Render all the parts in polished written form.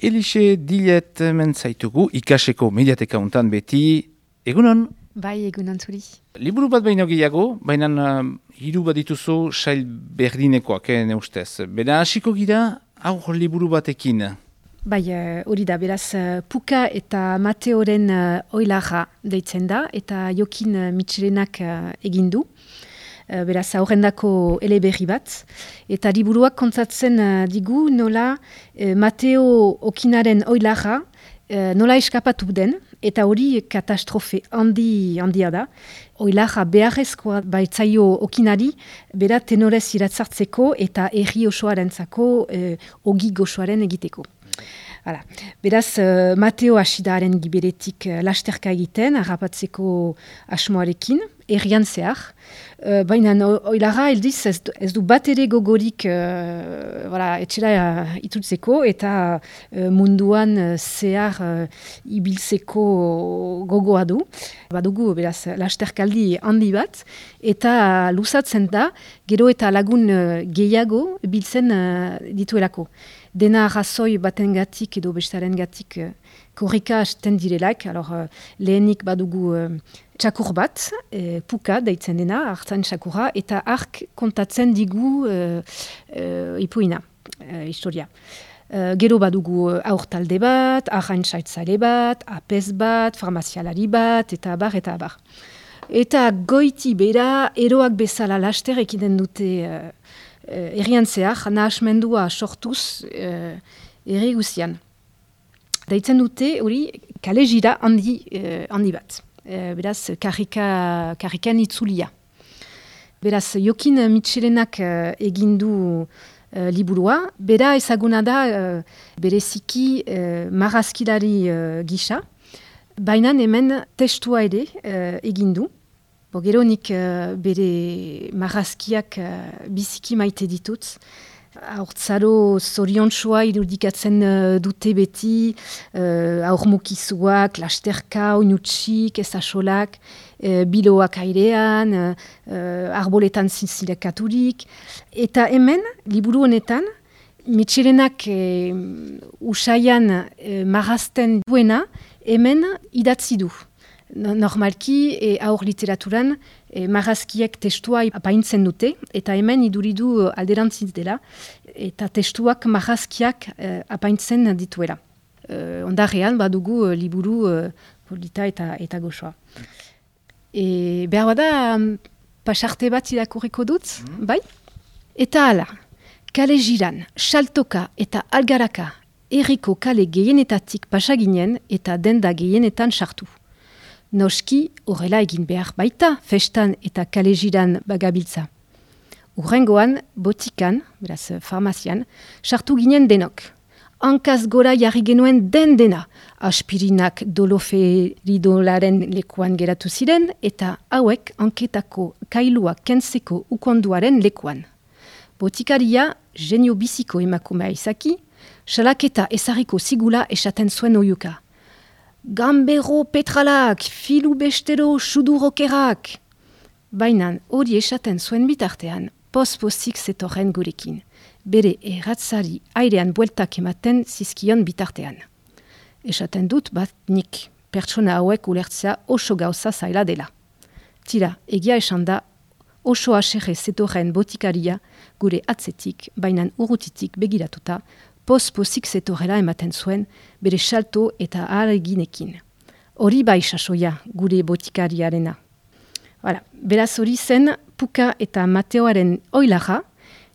Elixe Dilet mentzaitugu ikaseko mediateka untan beti, egunon? Bai, egunon zuri. Liburu bat baino gehiago, baina hiru bat dituzu sail berdinekoak, ne ustez. Bera hasiko gira, aur liburu batekin. Bai, hori da, beraz, Puka eta Mateoren oilarra deitzen da, eta Jokin Mitxelenak egin du. Beraz, aurrendako eleberri bat. Eta liburuak kontatzen digu nola Mateo Okinaren oilarra nola eskapatu den, eta hori katastrofe handia da. Oilarra beharrezkoa baitzaio Okinari, bera tenorez iratzartzeko eta herri osoarentzako ogi gozoaren egiteko. Hala. Beraz, Mateo Asidaren giberetik lasterka egiten, harrapatzeko asmoarekin, herrian zehar. Baina oilarra eldiz ez du bat ere gogorik etxera itutzeko eta munduan zehar ibiltzeko gogoa du. Badugu, beraz, lasterkaldi handi bat, eta luzatzen da, gero eta lagun gehiago biltzen dituelako. Dena arrazoi batengatik edo bestarengatik korrika hasten direlak. Lehenik badugu txakur bat, Puka deitzen dena, hartzen txakurra, eta ark kontatzen digu ipuina, historia. Gero badugu aur talde bat, arraintzaile bat, apez bat, farmazialari bat, eta abar, eta abar. Eta goiti bera, eroak bezala laster ekiden dute herrian zehar, nahasmendua sortuz herri guzian. Deitzen dute hori kale jira handi bat. Beraz, karrikan itzulia. Beraz, Jokin Mitxelenak egindu liburua. Bera ezaguna da bereziki marrazkilari gisa. Baina hemen testua ere egindu. Gero nik bere marrazkiak biziki maite ditut. Haurtzaro zoriontsua irudikatzen dute beti, aurmukizuak, lasterka, oinutsik, ezasolak, biloak airean, arboletan zinzilekaturik. Eta hemen, liburu honetan, Mitxelenak usaian marrazten duena, hemen idatzi du. Normalki, aur literaturan, marrazkiek testua apaintzen dute, eta hemen iduridu alderantziz dela, eta testuak marrazkiak apaintzen dituela. Ondarrean, badugu liburu polita eta gozoa. Behar bada, pasarte bat irakurriko dut, bai? Eta hala, kale jiran, saltoka eta algaraka, herriko kale gehienetatik pasaginen eta denda gehienetan sartu. Noski, horrela egin behar baita, festan eta kale jiran bagabiltza. Urrengoan, botikan, beraz farmazian, sartu ginen denok. Hankaz gora jarri genuen dena, aspirinak doloferidolaren lekuan geratu ziren, eta hauek hanketako kailua kentzeko ukonduaren lekuan. Botikaria, genio biziko emakumea izaki, salaketa ezarriko zigula esaten zuen oiuka. Gambero petralak, filu bestero sudurokerak. Bainan hori esaten zuen bitartean, pospozik zetorren gurekin. Bere erratzari airean bueltak ematen zizkion bitartean. Esaten dut bat nik, pertsona hauek ulertzea oso gauza zaila dela. Tira, egia esan da, oso aserre zetorren botikaria gure atzetik, bainan urrutitik begiratuta, pospozik zetorrela ematen zuen bere salto eta ahareginekin. Hori bai sasoia gure botikariarena. Beraz hori zen Puka eta Mateoaren oilarra,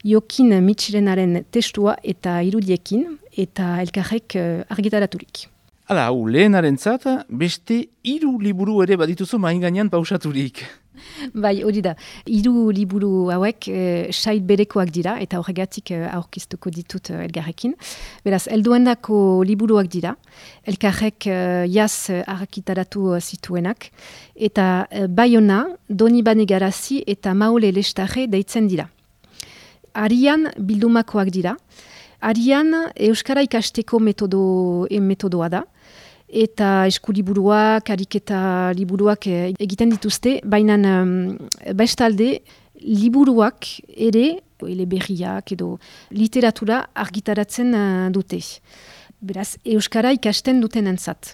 Jokin Mitxelenaren testua eta irudiekin eta elkarrek argitaraturik. Hala, lehenarentzat, beste 3 liburu ere badituzu main gainean pausaturik. Bai, hori da. 3 liburu hauek sail berekoak dira, eta horregatik aurkeztuko ditut elgarrekin. Beraz, helduendako liburuak dira, elkarrek jaz argitaratu zituenak, eta Baiona, Donibane Garazi eta Maule Lestarre deitzen dira. Arian bildumakoak dira. Arian euskara ikasteko metodoa da, eta eskuliburuak, ariketa liburuak egiten dituzte, baina bestalde liburuak ere, eleberriak edo literatura argitaratzen dute. Beraz, euskara ikasten duten entzat.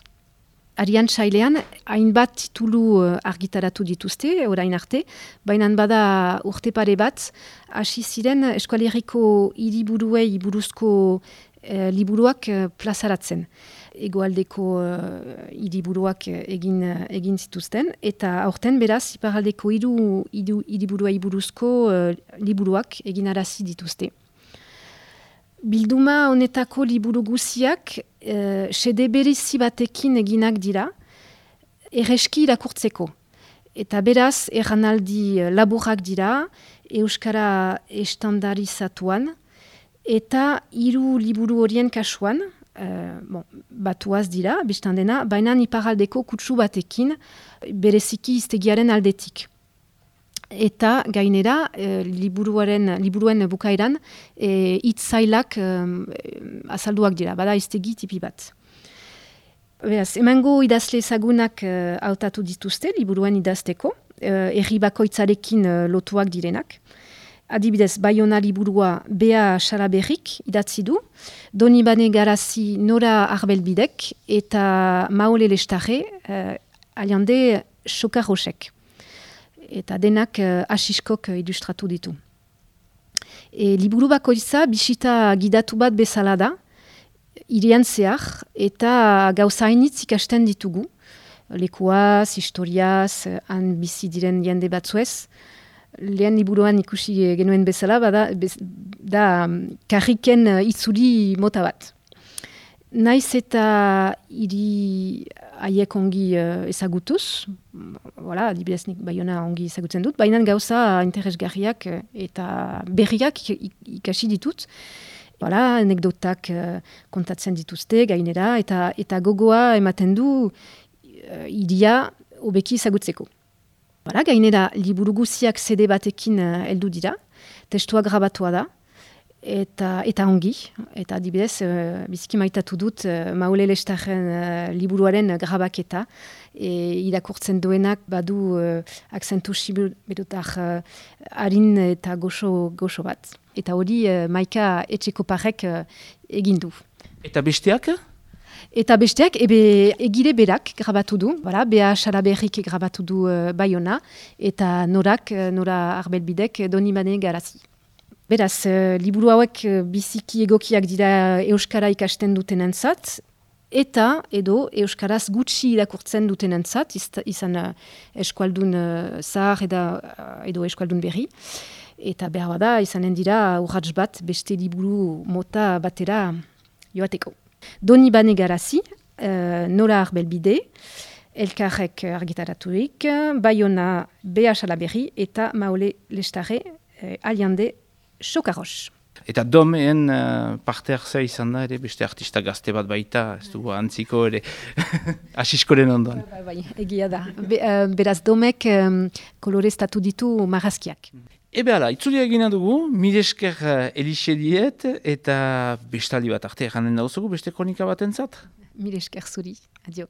Arian Sailean, hainbat titulu argitaratu dituzte, orain arte, baina bada urte pare bat, hasi ziren eskualeriko hiriburuei buruzko liburuak plazaratzen. Hegoaldeko hiriburuak egin zituzten, eta aurten beraz, iparaldeko hiriburuei buruzko liburuak egin arazi dituzte. Bilduma honetako liburu guziak sede berezi batekin eginak dira, erreski irakurtzeko. Eta beraz, erranaldi laburrak dira, euskara estandarizatuan, eta 3 liburu horien kasuan, batuaz dira, biztan dena, baina iparaldeko kutsu batekin bereziki iztegiaren aldetik. Eta gainera, liburuen bukaeran, hitzailak azalduak dira, bada iztegi tipi bat. Beraz, emango idazle ezagunak hautatu dituzte, liburuen idazteko, herri bakoitzarekin lotuak direnak. Adibidez, Baiona liburua Bea Xalaberrik idatzi du, Donibane Garazi Nora Arbelbidek eta Maole Lestarre Aliande Xokarrosek. Eta denak asiskok ilustratu ditu. Liburu bakoitza bisita gidatu bat bezala da, hirian zehar, eta gauza hainitz ikasten ditugu. Lekuaz, historiaz, han bizi diren jende batzuez. Lehen liburuan ikusi genuen bezala, da karriken itzuli mota bat. Naiz eta hiri haiek ongi ezagutuz, adibidez nik Baiona ongi ezagutzen dut, baina gauza interesgarriak eta berriak ikasi ditut. Anekdotak kontatzen dituzte gainera, eta gogoa ematen du hiria hobeki ezagutzeko. Gainera, liburu guziak CD batekin heldu dira, testua grabatua da, eta ongi, eta adibidez, biziki maitatu dut Maule Lestarren liburuaren grabaketa, irakurtzen duenak badu akzentu siberutar harin eta goxo bat. Eta hori Maika Etxekoparrek egin du. Eta besteak? Eta besteak, egile berak grabatu du, Bea Xalaberrik grabatu du Baiona, eta Nora Arbelbidek Donibane Garazi. Beraz, liburu hauek biziki egokiak dira euskara ikasten dutenentzat, eta euskaraz gutxi irakurtzen dutenentzat, izan eskualdun zahar edo eskualdun berri. Eta behar bada, izanen dira urrats bat beste liburu mota batera joateko. Donibane Garazi, Nora Arbelbide, elkarrek argitaraturik, Baiona Bea Xalaberri eta Maole Lestarre Aliande Xokarros. Eta domeen parte hartzea izan da ere, beste artista gazte bat baita, ez dugu antziko ere, asiskoren ondoan. Egia da. Beraz domek koloreztatu ditu marrazkiak. Hala, itzuli egina dugu, mil esker Elixe diet, eta bestaldi bat arte eranen dauzugu, beste kronika bat entzat? Mil esker zuri, adio.